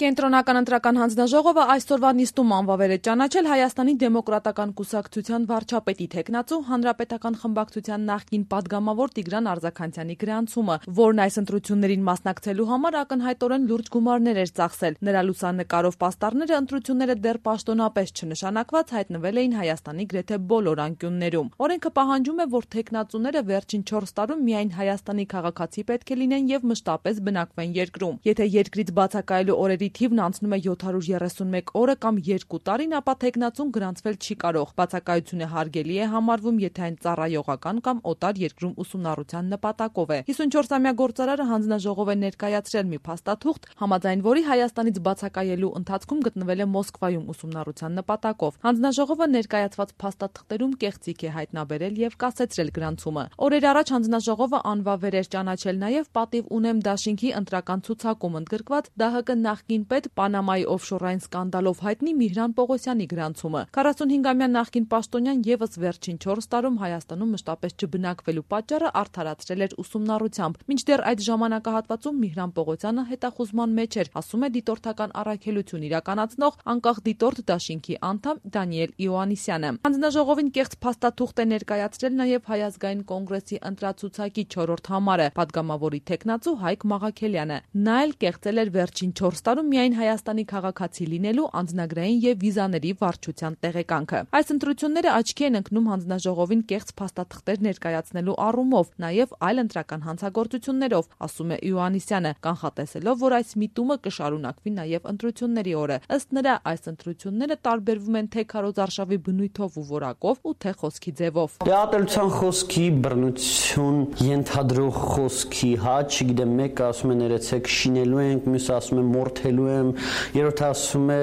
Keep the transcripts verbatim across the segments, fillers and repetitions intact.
Կենտրոնական ընտրական հանձնաժողովը այսօրվա նիստում անվավեր է ճանաչել Հայաստանի դեմոկրատական կուսակցության վարչապետի թեկնածու Հանրապետական խմբակցության նախկին падգամավոր Տիգրան Արձաքանցյանի գրանցումը, որն այս ընտրություններին մասնակցելու համար ակնհայտորեն լուրջ գումարներ էր ծախսել։ Նրա լուսանկարով պաստառները ընտրությունները դեռ պաշտոնապես չնշանակված հայտնվել էին Հայաստանի գրեթե բոլոր անկյուններում։ Օրենքը պահանջում է, որ թեկնածուները վերջին չորս տարում միայն Հայաստանի քաղաքացի պետք է լինեն եւ մշտապես բնակվեն երկրում։ Եթե երկրից բացակայելու օրերի թիվն անցնում է յոթ հարյուր երեսունմեկ օրը կամ երկու տարին, ապա թեկնածուն գրանցվել չի կարող։ Բացակայությունը հարգելի է համարվում, եթե այն ծառայողական կամ օտար երկրում ուսումնառության նպատակով է։ հիսունչորսամյա գործարարը հանձնաժողով է ներկայացրել մի փաստաթուղթ, համաձայն որի Հայաստանից բացակայելու ընթացքում գտնվել է Մոսկվայում ուսումնառության նպատակով։ Հանձնաժողովը ներկայացված փաստաթղթերում կեղծիք է հայտնաբերել եւ կասեցրել գրանցումը։ Օրեր առաջ հանձնաժողովը անվավեր էր ճանաչել նաեւ պատիվ ունեմ դաշինքի ընտրական ցուցակում ընդգրկված ԴՀԿ նախկին պետ Պանամայի օֆշորային սկանդալով հայտնի Միհրան Պողոսյանի գրանցումը։ քառասունհինգամյա նախկին պաշտոնյան եւս վերջին չորս տարում Հայաստանում մշտապես չբնակվելու պատճառը արդարացրել էր ուսումնառությամբ։ Մինչդեռ այդ ժամանակահատվածում Միհրան Պողոսյանը հետախուզման մեջ էր, ասում է դիտորդական առաքելություն իրականացնող անկախ դիտորդ դաշինքի անդամ Դանիել Իոաննիսյանը։ Հանձնաժողովին կեղծ փաստաթուղթ է ներկայացրել նաեւ Հայ ազգային կոնգրեսի ընտրացուցակի չորրորդ համարը, падգամավորի թեկնածու Հայկ Մաղաքելյանը։ Նա էլ կեղծել էր վերջին չորս տարում միայն Հայաստանի քաղաքացի լինելու անձնագրային եւ վիզաների վարչության տեղեկանքը։ Այս ընտրությունները աչքի են ընկնում հանձնաժողովին կեղծ փաստաթղթեր ներկայացնելու առումով, նաեւ այլ ընտրական հանցագործություններով, ասում է Իոաննիսյանը, կանխատեսելով, որ այս միտումը կշարունակվի նաեւ ընտրությունների օրը։ Ըստ նրա, այս ընտրությունները տարբերվում են թե քարոզարշավի բնույթով ու որակով ու թե խոսքի ձևով։ Ատելության խոսքի, բռնություն, ենթադրող խոսքի, հա, չգիտեմ, մեկը ասում է ներեցեք շինելու ենք, մյուսը ասում է մորթելու եմ, երրորդը ասում է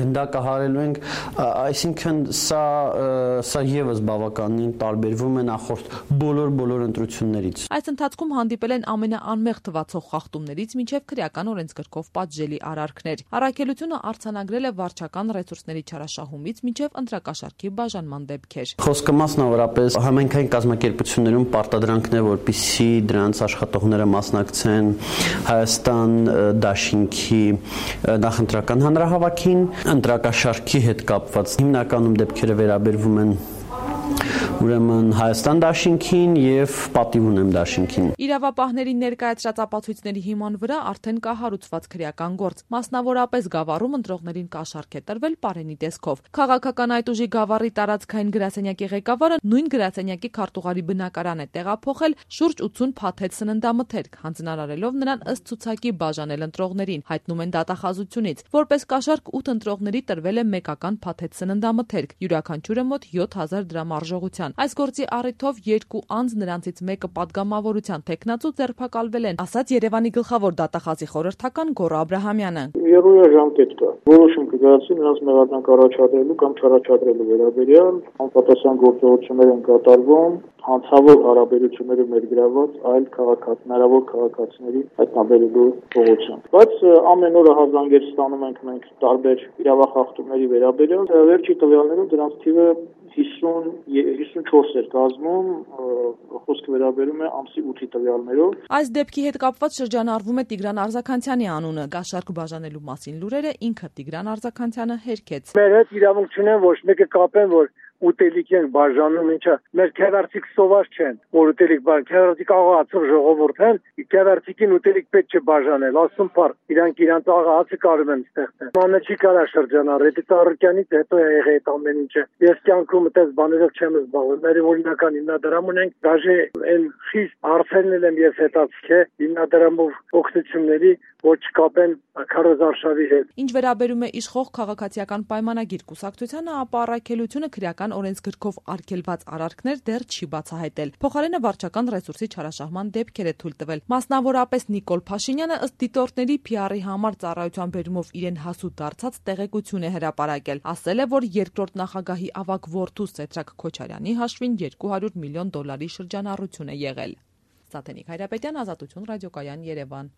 գնդակահարելու ենք, այսինքն սա սա եւս բավականին տարբերվում է նախորդ բոլոր բոլոր ընտրություններից։ Այս ընթացքում հանդիպել են ամենաանմեղ թվացող խախտումներից մինչև քրեական օրենսգրքով պատժելի արարքներ։ Առաքելությունը արձանագրել է վարչական ռեսուրսների չարաշահումից մինչև ընտրակաշառքի բաժանման դեպքեր։ Խոսքը մասնավորապես համայնքային կազմակերպություններում պարտադրանքն է, որպեսզի դրանց աշխատողները մասնակցեն Հայաստան դաշինքի նախընտրական հանրահավաքին, ընտրակաշառքի հետ կապված հիմնականում դեպքերը վերաբերվում են ուրեմն Հայաստան դաշինքին եւ պատիվ ունեմ դաշինքին։ Իրավապահների ներկայացրած ապացույցների հիման վրա արդեն կա հարուցված քրեական գործ։ Մասնավորապես Գավառում ընտրողներին կաշառք է տրվել Պարենի տեսքով։ Քաղաքական այդ ուժի Գավառի տարածքային գրասենյակի ղեկավարը նույն գրասենյակի քարտուղարի բնակարան է տեղափոխել շուրջ ութուն փաթեթ սննդամթերք, հանձնարարելով նրան ըստ ցուցակի բաժանել ընտրողներին, հայտնում են դատախազությունից։ Որպես կաշառք ութ ընտրողների տրվել է մեկական փաթեթ սննդամթերք, յուրաքանչյուրը մոտ յոթ հազար դրամ արժողության։ Այս գործի առիթով երկու անձ, նրանցից մեկը падգամավորության թեկնածու, ձերբակալվել են, ասաց Երևանի գլխավոր դատախազի խորհրդական Գոռ Աբրահամյանը։ Երրորդ ժամկետ կա։ Որոշում կգրացի նրանց մեղադրանք առաջադրելու կամ չառաջադրելու վերաբերյալ, անպատասխան գործողություններ են կատարվում, հանցավոր հարաբերությունները ներգրաված այլ քաղաքացի, հնարավոր քաղաքացիների հայտնաբերելու ուղղությամբ։ Բայց ամեն օր հազանգեր ստանում ենք մենք տարբեր իրավախախտումների վերաբերյալ, վերջի տվյալներով դրանց թիվը հիսուն հիսունչորս էր կազմում, խոսքը վերաբերում է ամսի ութի տվյալներով։ Այս դեպքի հետ կապված շրջանառվում է Տիգրան Արձաքանցյանի անունը։ Կաշառք բաժանելու մասին լուրերը ինքը Տիգրան Արձաքանցյանը հերքեց։ Մեր հետ իրավունք չունեն ոչ մեկը կապեն, որ ուտելիք են բաժանում, ինչա մեր քերարցիկ սոված չեն, որ ուտելիք բաժան, քերարցիկ աղացող ժողովուրդ են, քերարցիկին ուտելիք պետք չէ բաժանել, ասում բար, իրանք իրանց աղացը կարում են ստեղծել։ Մանը չի կարա շրջանառել, դա Ծառուկյանից հետո է եղել այդ ամեն ինչը։ Ես կյանքում այդպես բաներով չեմ զբաղվել, մեր օրինական հիմնադրամ ունենք, դաժե այն խիստ հարցերն եմ ես հետացել է հիմնադրամով օգնությունների, որ չկապեն քարոզարշավի հետ։ Ինչ վերաբերում է իշխող քաղաքացիական պայմանագիր կուսակցությանը, ապա առաքելությունը քրեական օրենսգրքով արգելված արարքներ դեռ չի բացահայտել։ Փոխարենը վարչական ռեսուրսի չարաշահման դեպքեր է թույլ տվել։ Մասնավորապես Նիկոլ Փաշինյանը ըստ դիտորդների փի արի համար ծառայության բերումով իրեն հասու դարձած տեղեկություն է հրապարակել։ Ասել է, որ երկրորդ նախագահի ավագ որդու Սեդրակ Քոչարյանի հաշվին երկու հարյուր միլիոն դոլարի շրջանառություն է եղել։ Սաթենիկ Հայրապետյան, Ազատություն ռադիոկայան, Երևան։